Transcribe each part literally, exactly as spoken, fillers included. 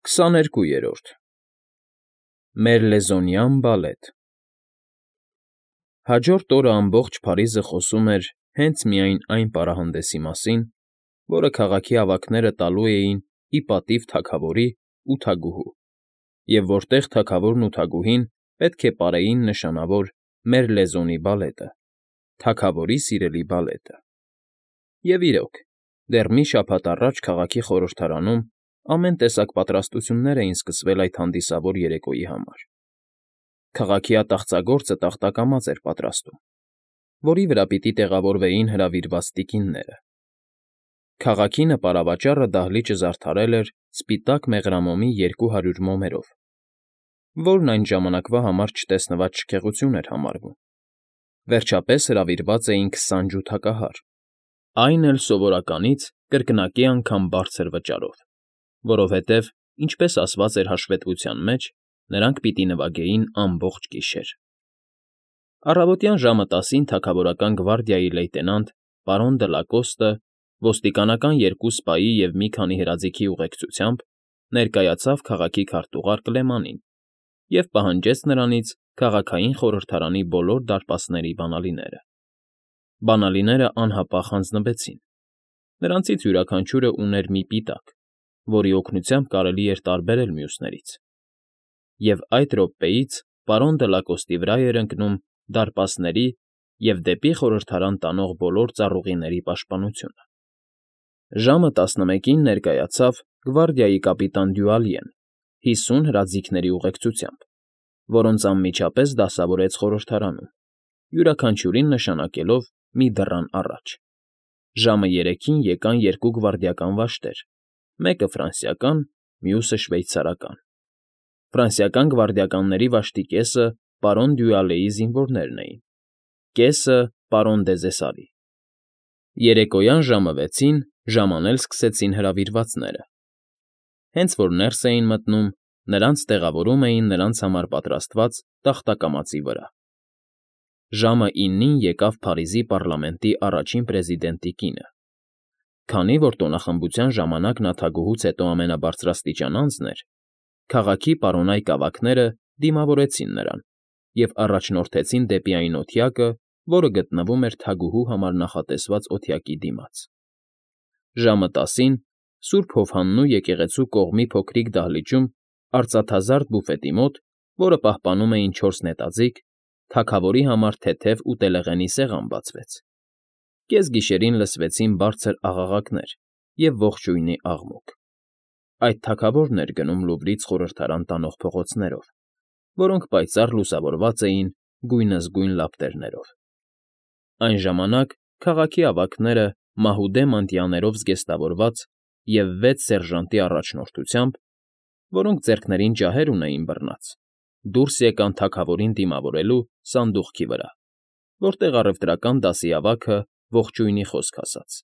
Քսաներկուերորդ Մերլեզոնյան բալետ Հաջորդ օրը ամբողջ Փարիզը խոսում էր հենց միայն այն պարահանդեսի մասին, որը քաղաքի ավագները տալու էին ի պատիվ թագավորի ու թագուհու, և որտեղ թագավորն ու թագուհին պետք է պարեին նշանավոր Մերլեզոնի բալետը, թագավորի սիրելի բալետը։ Եվ իրոք, դեռ մի շաբաթ առաջ քաղաքի խորհրդարանում ամեն տեսակ պատրաստություններ էին սկսվել այդ հանդիսավոր երեկոյի համար. քաղաքի ատաղծագործը տախտակամաց էր պատրաստում, որի վրա պիտի տեղավորվեին հրավիրված տիկինները։ Քաղաքի նպարավաճառը դահլիճը զարդարել էր սպիտակ մեղրամոմի երկու հարյուր մոմերով, որն այն ժամանակվա համար չտեսնված շքեղություն էր համարվում։ Վերջապես հրավիրված էին քսան ջութակահար, այն էլ սովորականից կրկնակի անգամ բարձր վճարով, որովհետև, ինչպես ասված էր հաշվետվության մեջ, նրանք պիտի նվագեին ամբողջ գիշեր։ Առավոտյան ժամը տասին թագավորական գվարդիայի լեյտենանտ պարոն Դլակոստը ոստիկանական երկու սպայի և մի քանի հրաձիգի ուղեկցությամբ ներկայացավ քաղաքի քարտուղար Կլեմանին և պահանջեց նրանից քաղաքային խորհրդարանի բոլոր դարպասների բանալիները։ Բանալիները անհապաղ հանձնվեցին։ Նրանցից յուրաքանչյուրը ուներ մի պիտակ, որի օգնությամբ կարելի էր տարբերել մյուսներից, և այդ րոպեից պարոն Դլակոստի վրա էր ընկնում դարպասների և դեպի խորհրդարան տանող բոլոր ծառուղիների պաշտպանությունը։ Ժամը տասնմեկին ներկայացավ գվարդիայի կապիտան Դյուալյեն հիսուն հրաձիգների ուղեկցությամբ, որոնց անմիջապես դասավորեց խորհրդարանում, յուրաքանչյուրին նշանակելով մի դռան առաջ։ Ժամը երեքին եկան երկու գվարդիական վաշտեր, մեկը ֆրանսիական, մյուսը շվեյցարական։ Ֆրանսիական գվարդիականների վաշտի կեսը պարոն Դյուալեի զինվորներն էին, կեսը՝ պարոն Դեզեսարի։ Երեկոյան ժամը վեցին ժամանել սկսեցին հրավիրվածները։ Հենց որ ներս էին մտնում, նրանց տեղավորում էին նրանց համար պատրաստված տախտակամածի վրա։ Ժամը իննին եկավ Փարիզի պառլամենտի առաջին պրեզիդենտի կինը։ Քանի որ տոնախմբության ժամանակ նա թագուհուց հետո ամենաբարձրաստիճան անձն էր, քաղաքի պարոնայք ավագները դիմավորեցին նրան և առաջնորդեցին դեպի այն օթյակը, որը գտնվում էր թագուհու համար նախատեսված օթյակի դիմաց։ Ժամը տասին Սուրբ Հովհաննու եկեղեցու կողմի փոքրիկ դահլիճում արծաթազարդ բուֆետի մոտ, որը պահպանում էին չորս նետաձիգ, թագավորի համար թեթև ուտելեղենի սեղան բացվեց։ Կեսգիշերին լսվեցին բարձր աղաղակներ և ողջույնի աղմուկ։ Այդ թագավորն էր գնում Լուվրից խորհրդարան տանող փողոցներով, որոնք պայծառ լուսավորված էին գույնզգույն լապտերներով։ Այն ժամանակ քաղաքի ավագները մահուդե մանտիաներով զգեստավորված և վեց սերժանտի առաջնորդությամբ, որոնք ձեռքներին ջահեր ունեին բռնած, դուրս եկան թագավորին դիմավորելու սանդուղքի վրա, որտեղ առևտրական դասի ավագը ողջույնի խոսք ասաց։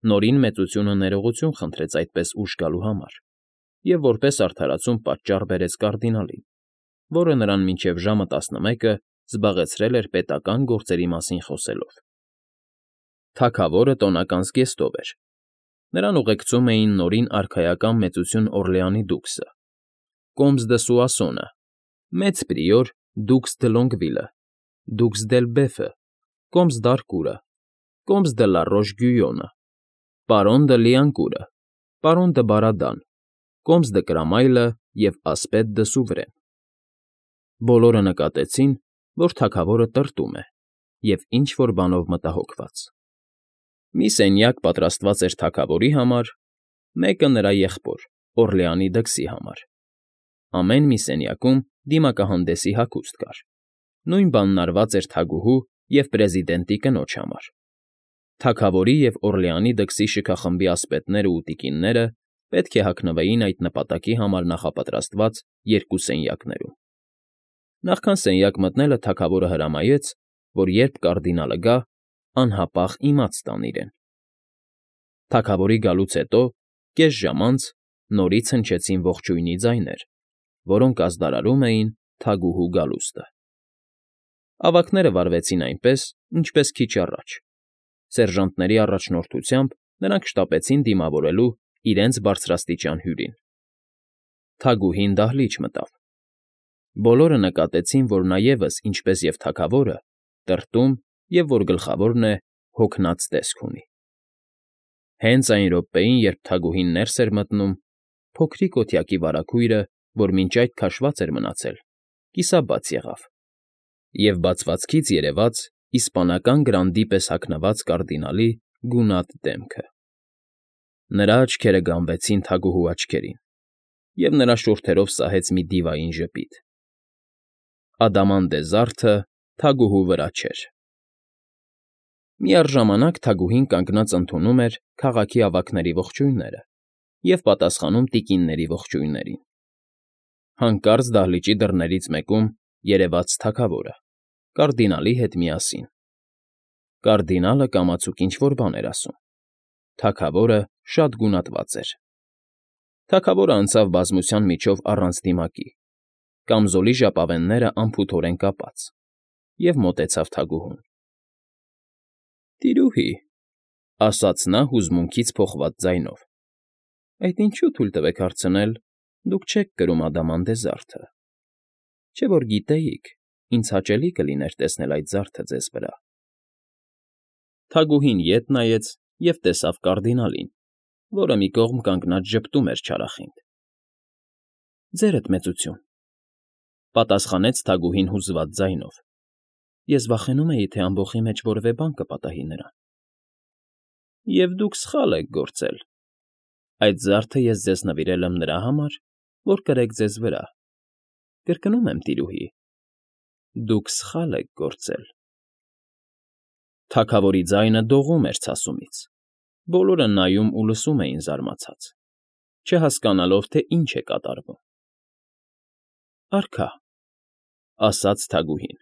Նորին մեծությունը ներողություն խնդրեց այդպես ուշ գալու համար և որպես արդարացում պատճառ բերեց կարդինալին, որը նրան մինչև ժամը տասնմեկը զբաղեցրել էր պետական գործերի մասին խոսելով։ Թագավորը տոնական զգեստով էր։ Նրան ուղեկցում էին նորին արքայական մեծություն Օրլեանի դուքսը, կոմս դը Սուասոնը, մեծ պրիոր դուքս դը Լոնգվիլը, դուքս դել Բեֆը, կոմս դ'Արկուրը, կոմս դը Լարոշ֊Գյույոնը, պարոն դը Լիանկուրը, պարոն դը Բարադան, կոմս դը Կրամայլը և ասպետ դը Սուվրեն։ Բոլորը նկատեցին, որ թագավորը տրտում է և ինչ֊որ բանով մտահոգված։ Մի սենյակ պատրաստված էր թագավորի համար, մեկը նրա եղբոր՝ Օրլեանի դքսի համար։ Ամեն մի սենյակում դիմակահանդեսի հագուստ կար։ Նույն բանն արված էր թագուհու և պրեզիդենտի կնոջ համար։ Թագավորի և Օրլեանի դքսի շքախմբի ասպետներն ու տիկինները պետք է հագնվեին այդ նպատակի համար նախապատրաստված երկու սենյակներում։ Նախքան սենյակ մտնելը թագավորը հրամայեց, որ երբ կարդինալը գա, անհապաղ իմաց տան իրեն։ Թագավորի գալուց հետո, կես ժամ անց, նորից հնչեցին ողջույնի ձայներ, որոնք ազդարարում էին թագուհու գալուստը։ Ավագները վարվեցին այնպես, ինչպես քիչ առաջ։ Սերժանտների առաջնորդությամբ նրանք շտապեցին դիմավորելու իրենց բարձրաստիճան հյուրին։ Թագուհին դահլիճ մտավ։ Բոլորը նկատեցին, որ նա ևս, ինչպես և թագավորը, տրտում և, որ գլխավորն է, հոգնած տեսք ունի։ Հենց այն րոպեին, երբ թագուհին ներս էր մտնում, փոքրիկ օթյակի վարագույրը, որ մինչ այդ քաշված էր մնացել, կիսաբաց եղավ, և բացվածքից երևաց իսպանական գրանդի պես հագնված կարդինալի գունատ դեմքը։ Նրա աչքերը գանվեցին թագուհու աչքերին, և նրա շուրթերով սահեց մի դիվային ժպիտ։ Ադամանդե զարդը թագուհու վրա չէր։ Միառժամանակ թագուհին կանգնած ընդունում էր քաղաքի ավագների ողջույնները և պատասխանում տիկինների ողջույններին։ Հանկարծ դահլիճի դռներից մեկում երևաց թագավորը, կարդինալի հետ միասին։ Կարդինալը կամացուկ ինչ֊որ բան էր ասում։ Թագավորը շատ գունատված էր։ Թագավորը անցավ բազմության միջով առանց դիմակի, կամզոլի ժապավենները անփութորեն կապած, և մոտեցավ թագուհուն։ ֊ Տիրուհի,֊ ասաց նա հուզմունքից փոխված ձայնով,֊ այդ ինչու թույլ տվեք հարցնել, դուք չեք կրում ադամանդե զարդը, չէ՞ որ գիտեիք, ինձ հաճելի կլիներ տեսնել այդ զարդը ձեզ վրա։ Թագուհին ետ նայեց և տեսավ կարդինալին, որը մի կողմ կանգնած ժպտում էր չարախինդ։ ֊ Ձերդ մեծություն,֊ պատասխանեց թագուհին հուզված ձայնով,֊ ես վախենում էի, թե ամբոխի մեջ որևէ բան կպատահի նրան։ ֊ Եվ դուք սխալ եք գործել. այդ զարդը ես ձեզ նվիրել եմ նրա համար, որ կրեք ձեզ վրա, կրկնում եմ, տիրուհի, դուք սխալ եք գործել։ Թագավորի ձայնը դողում էր ցասումից, բոլորը նայում ու լսում էին զարմացած, չհասկանալով, թե ինչ է կատարվում։ ֊ Արքա,֊ ասաց թագուհին,֊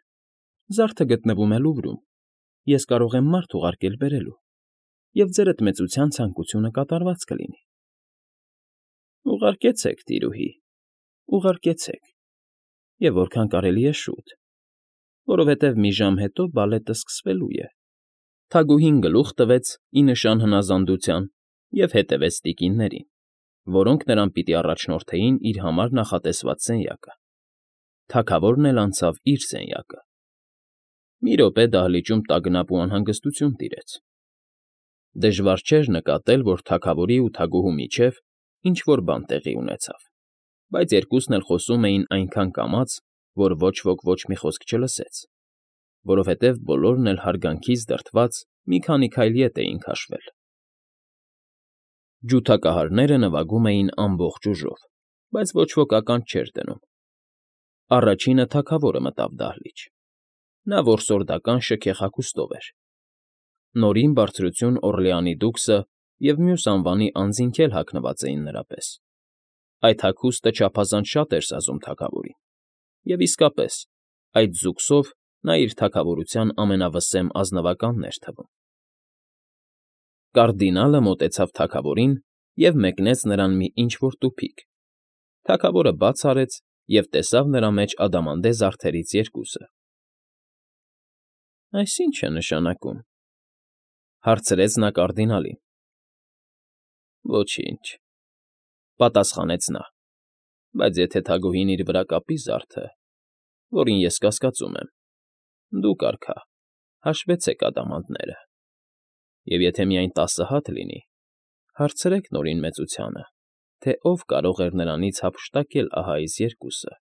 զարդը գտնվում է Լուվրում, ես կարող եմ մարդ ուղարկել բերելու, և ձերդ մեծության ցանկությունը կատարված կլինի։ ֊ Ուղարկեցեք, տիրուհի, ուղարկեցեք, և որքան կարելի է շուտ, որովհետև մի ժամ հետո բալետը սկսվելու է։ Թագուհին գլուխ տվեց ի նշան հնազանդության և հետևեց տիկիններին, որոնք նրան պիտի առաջնորդեին իր համար նախատեսված սենյակը։ Թագավորն էլ անցավ իր սենյակը։ Մի րոպե դահլիճում տագնապ ու անհանգստություն տիրեց։ Դժվար չէր նկատել, որ թագավորի ու թագուհու միջև ինչ֊որ բան տեղի ունեցավ, բայց երկուսն էլ խոսում էին այնքան կամաց, որ ոչ ոք ոչ մի խոսք չլսեց, որովհետև բոլորն էլ հարգանքից դրդված մի քանի քայլ ետ էին քաշվել։ Ջութակահարները նվագում էին ամբողջ ուժով, բայց ոչ ոք ականջ չէր դնում։ Առաջինը թագավորը մտավ դահլիճ։ Նա որսորդական շքեղ հագուստով էր։ Նորին բարձրություն Օռլեանի դուքսը և մյուս անվանի անձինք էլ հագնված էին նրա պես։ Այդ հագուստը չափազանց շատ էր սազում թագավորին, և իսկապես, այդ զուգսով նա իր թագավորության ամենավսեմ ազնվականն էր թվում։ Կարդինալը մոտեցավ թագավորին և մեկնեց նրան մի ինչ֊որ տուփիկ։ Թագավորը բաց արեց և տեսավ նրա մեջ ադամանդե զարդերից երկուսը։ ֊ Այս ի՞նչ է նշանակում,֊ հարցրեց նա կարդինալին։ ֊ Ոչինչ,֊ պատասխանեց նա,֊ բայց եթե թագուհին իր վրա կապի զարդը, որին ես կասկածում եմ, դուք, արքա, հաշվեցեք ադամանդները, և եթե միայն տասը հատ լինի, հարցրեք Նորին Մեծությանը, թե ով կարող էր նրանից հափշտակել ահա այս երկուսը։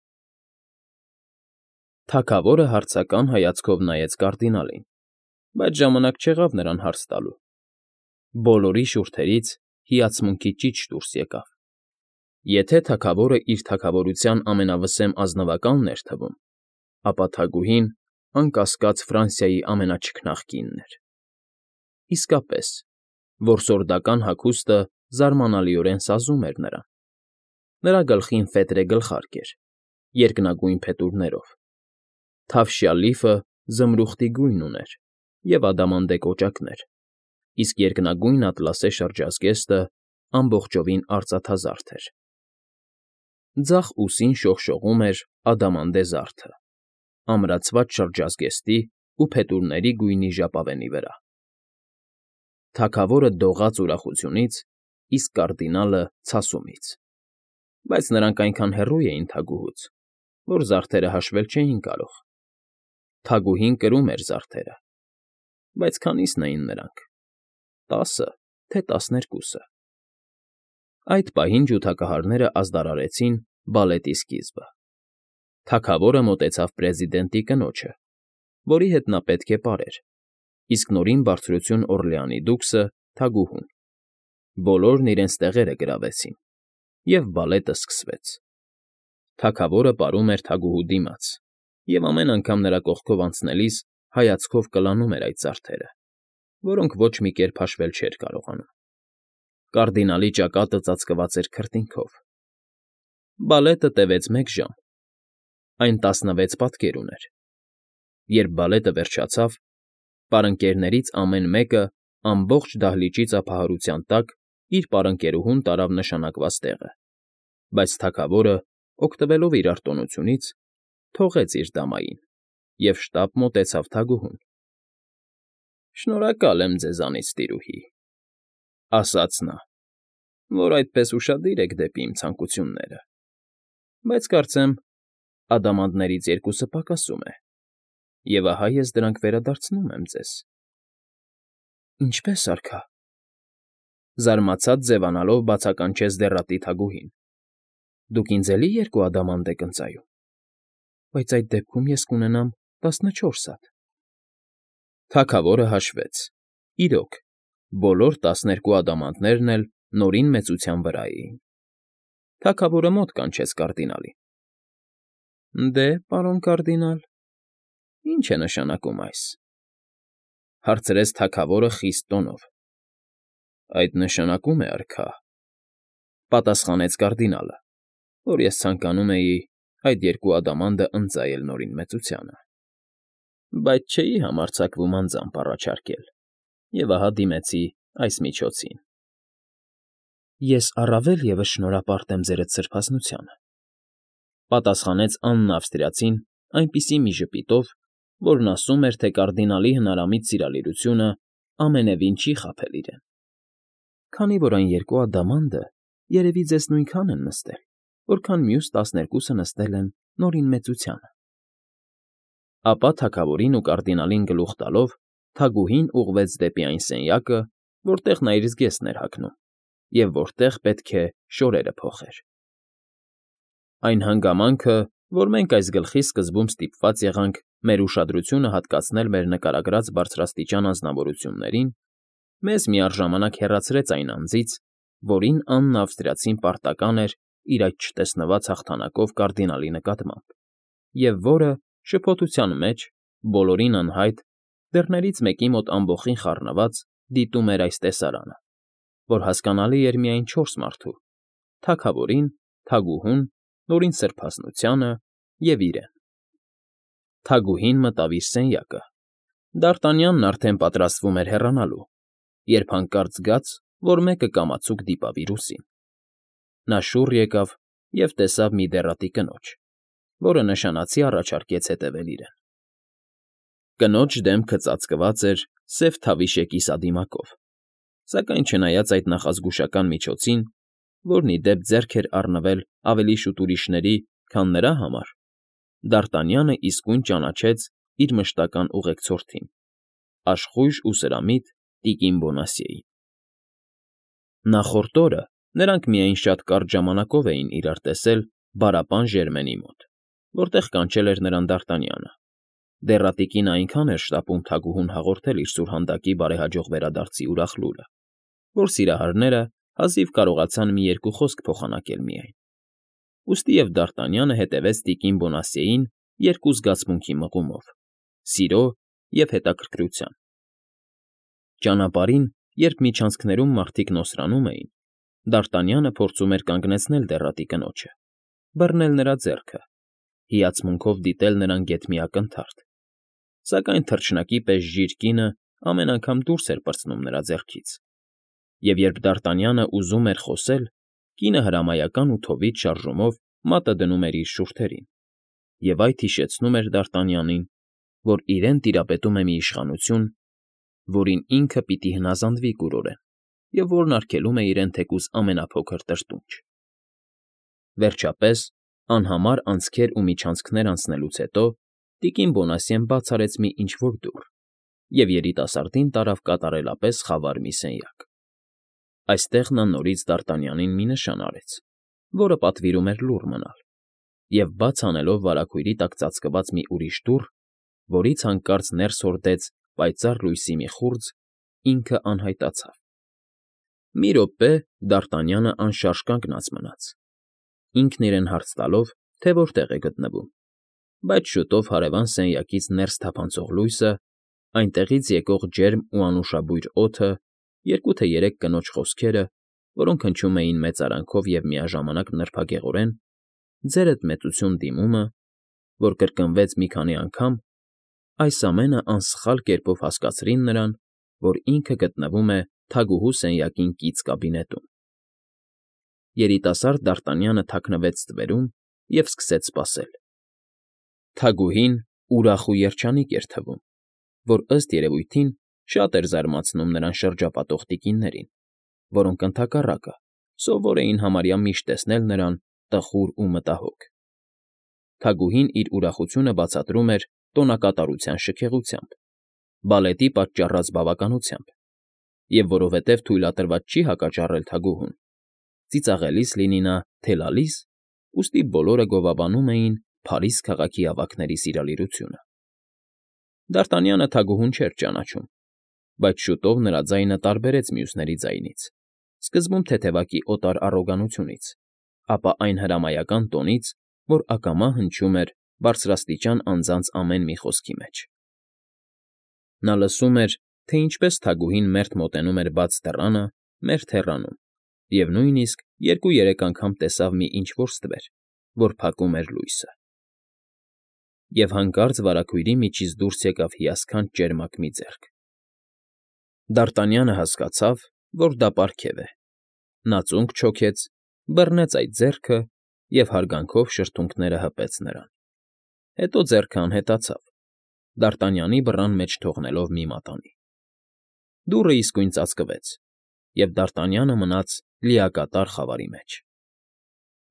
Թագավորը հարցական հայացքով նայեց կարդինալին, բայց ժամանակ չեղավ նրան հարց տալու։ Բոլորի շուրթերից հիացմունքի ճիչ դուրս եկավ։ Եթե թագավորը իր թագավորության ամենավսեմ ազնվականն էր թվում, ապա թագուհին, անկասկած, Ֆրանսիայի ամենաչքնաղ կինն էր։ Իսկապես, որսորդական հագուստը զարմանալիորեն սազում էր նրան։ Նրա գլխին ֆետրե գլխարկ էր, երկնագույն փետուրներով, թավշյա լիֆը զմրուխտի գույն ուներ և ադամանդե կոճակներ, իսկ երկնագույն ատլասե շրջազգեստը ամբողջովին արծաթազարդ էր։ Ձախ ուսին շողշողում էր ադամանդե զարդը, ամրացված շրջազգեստի ու փետուրների գույնի ժապավենի վրա։ Թագավորը դողաց ուրախությունից, իսկ կարդինալը՝ ցասումից։ Բայց նրանք այնքան հեռու էին թագուհուց, որ զարդերը հաշվել չէին կարող. թագուհին կրում էր զարդերը, բայց քանի՞սն էին նրանք՝ տասը, թե տասներկուսը։ Այդ պահին ջութակահարները ազդարարեցին բալետի սկիզբը։ Թագավորը մոտեցավ պրեզիդենտի կնոջը, որի հետ նա պետք է պարեր, իսկ նորին բարձրություն Օռլեանի դուքսը՝ թագուհուն։ Բոլորն իրենց տեղերը գրավեցին, և բալետը սկսվեց։ Թագավորը պարում էր թագուհու դիմաց, և ամեն անգամ նրա կողքով անցնելիս հայացքով կլանում էր այդ զարդերը, որոնք ոչ մի կերպ հաշվել չէր կարողանում։ Կարդինալի ճակատը ծածկված էր քրտինքով։ Բալետը տևեց մեկ ժամ, այն տասնվեց պատկեր ուներ։ Երբ բալետը վերջացավ, պարընկերներից ամեն մեկը ամբողջ դահլիճի ծափահարության տակ իր պարընկերուհուն տարավ նշանակված տեղը, բայց թագավորը, օգտվելով իր արտոնությունից, թողեց իր դամային և շտապ մոտեցավ թագուհուն։ ֊ Շնորհակալ եմ ձեզանից, տիրուհի, ֊ ասաց նա, ֊ որ այդպես ուշադիր եք դեպի իմ ցանկությունները, բայց կարծեմ ադամանդներից երկուսը պակասում է, և ահա ես դրանք վերադարձնում եմ ձեզ։ ֊ Ինչպե՞ս, արքա,֊ զարմացած ձևանալով բացականչեց դեռատի թագուհին։֊ Դուք ինձ էլի երկու ադամանդ եք ընծայում, բայց այդ դեպքում ես կունենամ տասնչորս հատ… Թագավորը հաշվեց. իրոք, բոլոր տասներկու ադամանդներն էլ Նորին մեծության վրա էին։ Թագավորը մոտ կանչեց կարդինալին։ ֊ Դե, պարոն կարդինալ, ի՞նչ է նշանակում այս,֊ հարցրեց թագավորը խիստ տոնով։ ֊ Այդ նշանակում է, արքա,֊ պատասխանեց կարդինալը, որ ես ցանկանում էի այդ երկու ադամանդը ընծայել Նորին մեծությանը, բայց չէի համարձակվում անձամբ առաջարկել, և ահա դիմեցի այս միջոցին։ ֊ Ես առավել ևս շնորհապարտ եմ ձերդ սրբազնությանը,֊ պատասխանեց Աննը Ավստրիացին այնպիսի մի ժպիտով, որն ասում էր, թե կարդինալի հնարամիտ սիրալիրությունը ամենևին չի խաբել իրեն,֊ քանի որ այն երկու ադամանդը երևի ձեզ նույնքան են նստել, որքան մյուս տասներկուսը նստել են Նորին մեծությանը։ Ապա թագավորին ու կարդինալին գլուխ տալով թագուհին ուղղվեց դեպի այն սենյակը, որտեղ նա իր զգեստն էր հագնում և որտեղ պետք է շորերը փոխեր։ Այն հանգամանքը, որ մենք այս գլխի սկզբում ստիպված եղանք մեր ուշադրությունը հատկացնել մեր նկարագրած բարձրաստիճան անձնավորություններին, մեզ միառժամանակ հեռացրեց այն անձից, որին Աննը Ավստրիացին պարտական էր իր այդ չտեսնված հաղթանակով կարդինալի նկատմամբ, և որը, շփոթության մեջ, բոլորին անհայտ, դռներից մեկի մոտ ամբոխին խառնված, դիտում էր այս տեսարանը, որ հասկանալի էր միայն չորս մարդու՝ թագավորին, թագուհուն, Նորին սրբազնությանը և իրեն։ Թագուհին մտավ իր սենյակը։ Դ'Արտանյանն արդեն պատրաստվում էր հեռանալու, երբ հանկարծ զգաց, որ մեկը կամացուկ դիպավ իր ուսին։ Նա շուռ եկավ և տեսավ մի դեռատի կնոջ, որը նշանացի առաջարկեց հետևել իրեն։ Կնոջ դեմքը ծածկված էր սև թավիշե կիսադիմակով, սակայն չնայած այդ նախազգուշական միջոցին, որն ի դեպ ձեռք էր առնվել ավելի շուտ ուրիշների, քան նրա համար, Դ'Արտանյանը իսկույն ճանաչեց իր մշտական ուղեկցորդին՝ աշխույժ ու սրամիտ տիկին Բոնասիեին։ Նախորդ օրը նրանք միայն շատ կարճ ժամանակով էին իրար տեսել Բարապան Ժերմենի մոտ, որտեղ կանչել էր նրան Դ'Արտանյանը։ Դեռատի կինը այնքան էր շտապում թագուհուն հաղորդել իր սուրհանդակի բարեհաջող վերադարձի ուրախ լուրը, որ սիրահարները հազիվ կարողացան մի երկու խոսք փոխանակել միայն։ Ուստի և Դ'Արտանյանը հետևեց տիկին Բոնասիեին երկու զգացմունքի մղումով՝ սիրո և հետաքրքրության։ Ճանապարհին, երբ միջանցքներում մարդիկ նոսրանում էին, Դ'Արտանյանը փորձում էր կանգնեցնել դեռատի կնոջը, բռնել նրա ձեռքը, հիացմունքով դիտել նրան գեթ մի ակնթարթ, սակայն թռչնակի պես ժիր կինը ամեն անգամ դուրս էր պրծնում նրա ձեռքից, և երբ Դ'Արտանյանը ուզում էր խոսել, կինը հրամայական ու թովիթ շարժումով մատը դնում էր իր շուրթերին, և այդ հիշեցնում էր Դ'Արտանյանին, որ իրեն տիրապետում է մի իշխանություն, որին ինքը պիտի հնազանդվի կուրորեն և որն արգելում է իրեն թեկուզ ամենափոքր տրտունջ։ Վերջապես, անհամար անցքեր ու միջանցքներ անցնելուց հետո տիկին Բոնասյեն բաց արեց մի ինչ֊որ դուռ և երիտասարդին տարավ կատարելապես խավար մի սենյակ. այստեղ նա նորից Դարտանյանին մի նշան արեց, որը պատվիրում էր լուռ մնալ, և բաց անելով վարագույրի տակ ծածկված մի ուրիշ դուռ, որից հանկարծ ներս հորդեց պայծառ լույսի մի խուրձ, ինքը անհայտացավ։ Մի րոպե Դարտանյանը անշարժ կանգնած մնաց, ինքն իրեն հարց տալով, թե որտեղ է գտնվում, բայց շուտով հարևան սենյակից ներս թափանցող լույսը, այնտեղից եկող ջերմ ու անուշաբույր օդը, երկու թե երեք կնոջ խոսքերը, որոնք հնչում էին մեծարանքով և միաժամանակ նրբագեղորեն, «Ձերդ մեծություն» դիմումը, որ կրկնվեց մի քանի անգամ, այս ամենը անսխալ կերպով հասկացրին նրան, որ ինքը գտնվում է թագուհու սենյակին կից կաբինետում։ Երիտասարդ Դարտանյանը թաքնվեց ստվերում և սկսեց սպասել։ Թագուհին ուրախ ու երջանիկ էր թվում, որ, ըստ երևույթին, շատ էր զարմացնում նրան շրջապատող տիկիններին, որոնք, ընդհակառակը, սովոր էին համարյա միշտ տեսնել նրան տխուր ու մտահոգ։ Թագուհին իր ուրախությունը բացատրում էր տոնակատարության շքեղությամբ, բալետի պատճառած բավականությամբ, և որովհետև թույլատրված չի հակաճառել թագուհուն, ծիծաղելիս լինի նա, թե լալիս, ուստի բոլորը գովաբանում էին Փարիզ քաղաքի ավագների սիրալիրությունը։ Դարտանյանը թագուհուն չէր ճանաչում, բայց շուտով նրա ձայնը տարբերեց մյուսների ձայնից, սկզբում թեթևակի օտար առոգանությունից, ապա այն հրամայական տոնից, որ ակամա հնչում էր բարձրաստիճան անձանց ամեն մի խոսքի մեջ։ Նա լսում էր, թե ինչպես թագուհին մերթ մոտենում էր բաց դռանը, մերթ հեռանում, և նույնիսկ երկու֊երեք անգամ տեսավ մի ինչ֊որ ստվեր, որ փակում էր լույսը։ Եվ հանկարծ վարագույրի միջից դուրս եկավ հիասքանչ ճերմակ մի ձեռք։ Դարտանյանը հասկացավ, որ դա պարգև է։ Նա ծունկ չոքեց, բռնեց այդ ձեռքը և հարգանքով շրթունքները հպեց նրան։ Հետո ձեռքը անհետացավ, Դարտանյանի բռան մեջ թողնելով մի մատանի։ Դուռը իսկույն ծածկվեց, և Դարտանյանը մնաց լիակատար խավարի մեջ։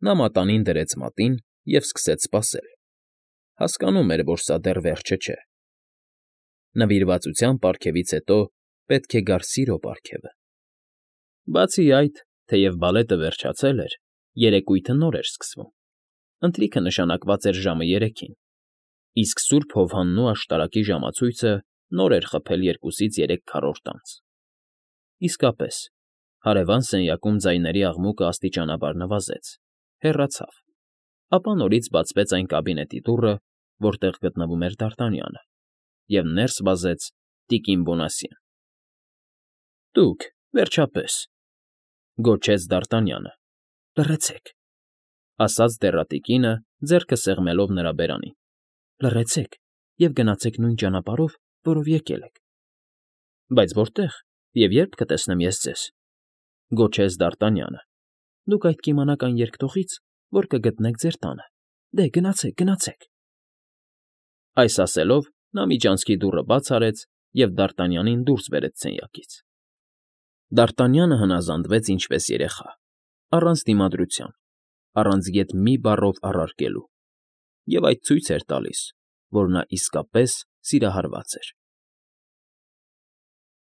Նա մատանին դրեց մատին և սկսեց սպասել. հասկանում էր, որ սա դեռ վերջը չէ։ Նվիրվածության պարգևից հետո պետք է գար սիրո պարգևը։ Բացի այդ, թեև բալետը վերջացել էր, երեկույթը նոր էր սկսվում, ընթրիքը նշանակված էր ժամը երեքին, իսկ Սուրբ Հովհաննու աշտարակի ժամացույցը նոր էր խփել երկուսից երեք քառորդ անց։ Իսկապես, հարևան սենյակում ձայների աղմուկը աստիճանաբար նվազեց, հեռացավ, ապա նորից բացվեց այն կաբինետի դուռը, որտեղ գտնվում էր Դարտանյանը, և ներս վազեց տիկին Բոնասյեն։ ֊ Դուք, վերջապես,֊ գոչեց Դարտանյանը։ ֊ Լռեցեք,֊ ասաց դեռատիկինը, ձեռքը սեղմելով նրա բերանին,֊ լռեցեք և գնացեք նույն ճանապարհով, որով եկել եք։ ֊ Բայց որտե՞ղ և ե՞րբ կտեսնեմ ես ձեզ,֊ գոչեց Դարտանյանը։ ֊ Դուք այդ կիմանաք այն երկտողից, որ կգտնեք ձեր տանը, դե, գնացեք, գնացեք… Այս ասելով նա միջանցքի դուռը բաց արեց և Դարտանյանին դուրս բերեց սենյակից։ Դարտանյանը հնազանդվեց ինչպես երեխա, առանց դիմադրության, առանց ետ մի բառով առարկելու, և այդ ցույց էր տալիս, որ նա իսկապես սիրահարված էր։